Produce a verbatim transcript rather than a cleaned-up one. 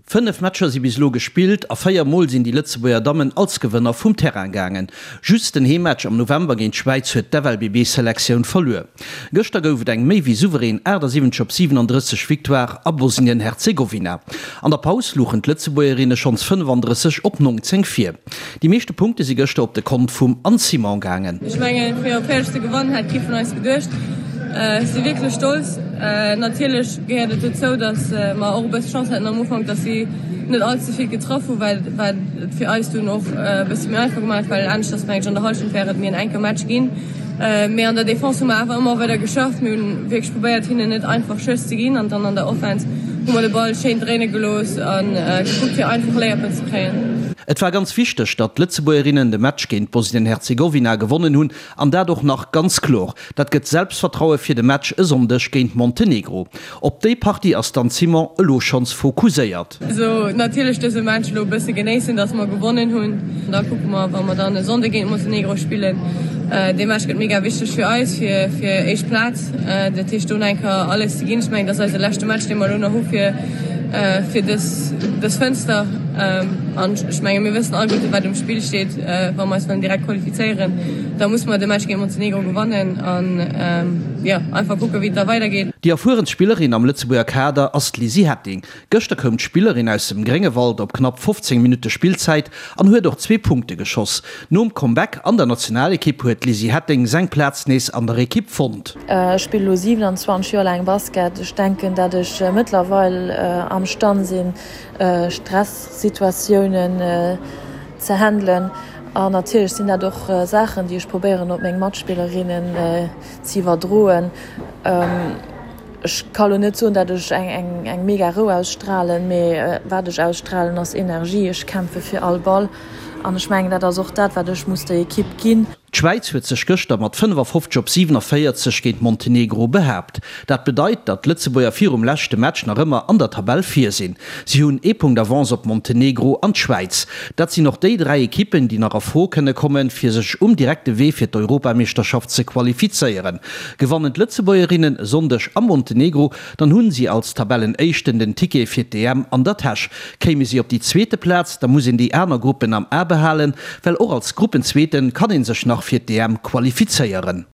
Fënnef Matcher si bis elo gespillt a véier Mol sinn déi Lëtzebuerger Dammen als Gewënner vum Terrain gaangen. Just den Heemmatch am November géint d'Schwäiz huet d'F L B B-Selektioun verluer. Gëschter gouf et eng méi wéi souverän achtasiwwenzeg op siwenandrësseg Victoire a Bosnien-Herzegowina. An der Paus louchen d'Lëtzebuergerinne schonns fënnefandrësseg op nongzéng vir. Déi meeschte Punkte si gëschter op de Kont vum Anne Simon gaangen. Ech mengen, fir op fäerdeg ze gewannen, hätt kee vun eis geduecht. Ech si wierklech stolz. Natierlech gehéiert et dozou, datt mer och e bësse Chance haten am Ufank, datt si net all ze vill getraff hunn, well wat et fir eis dunn och e bësse méi einfach gemaach huet, well aneschters mengen ech an der Hallschent wär et méi en enke Match ginn. Mee an der Defense hu mer awer ëmmer weider geschafft. Mir hunn wierklech probéiert, hinnen net einfach Schëss ze ginn an dann an der Offense hu mer de Ball schéin dréine gelooss a gekuckt, fir einfach Layuppen ze kréien. Et war ganz wichteg, datt d'Lëtzebuergerinnen de Match géint Bosnien-Herzegowina gewonnen hunn an dat och nach ganz kloer. Dat gëtt Selbstvertraue fir de Match e Sonndeg géint Montenegro. Op déi Partie ass d'Anne Simon elo schonns fokusséiert. Also natierlech dëse Match elo e bësse genéissen, datt mer gewonnen hunn. Da kucke mer, wa mer dann e Sonnde géint Montenegro spillen. Dee Match gëtt mega wichteg fir eis, fir fir éischt Plaz. Dat heescht do nach eng Kéier alles ze ginn. Ech mengen, dat ass eise leschte Match, dee mer elo nach hu fir fir dës dës Fënster. An ech menge mir wëssen alleguerte wat um Spill steet, wa mer eis wëllen direkt qualifizéieren, da musse mer de Match géint Montenegro gewannen an jo einfach kucke wéi et da weidergeet. Déi erfuerenst Spillerin am Lëtzebuerger Kader ass d'Lizzy Hetting. Gëschter koum d'Spillerin aus dem Gréngewald op knapp fofzéng Minutte Spillzäit an huet och zwee Punkte geschoss. Nom Comeback an der Nationalekipp huet d'Lizzy Hetting seng Plaz nees an der Ekipp fonnt. Ech spillen elo siwenanzwanzeg Joer laang Basket. Ech denken, dat ech mëttlerweil am Stand sinn, Stressituatiounen ze handelen. An natierlech sinn dat och Saachen, déi ech probéieren op meng Matspillerinnen ze iwwerdroen. Ech ka lo net soen, dat ech eng eng mega Rou ausstralen, mee wat ech ausstralen ass Energie. Ech kämpfe fir all Ball an ech mengen, dat ass och dat, wat ech muss der Ekipp ginn. D'Schwäiz huet sech gëschter mat fënnefafofzeg op siwenavéierzeg géint Montenegro behaapt. Dat bedeit, datt d'Lëtzebuerger virum leschte Match nach ëmmer an der Tabell vir sinn. Si hunn ee Punkt Avance op Montenegro an d'Schwäiz. Dat sinn och déi dräi Ekippen, déi nach a Fro kënne kommen, fir sech um direkte Wee fir d'Europameeschterschaft ze qualifizéieren. Gewannen d'Lëtzebuergerinnen e Sonndeg a Montenegro, dann hunn si als Tabellenéischten den Ticket fir d'E M an der Täsch. Kéime si op déi zweete Plaz, da muss een déi aner Gruppen am A behalen, well och als Gruppenzweete kann ee sech nach fir d'E M qualifizéieren.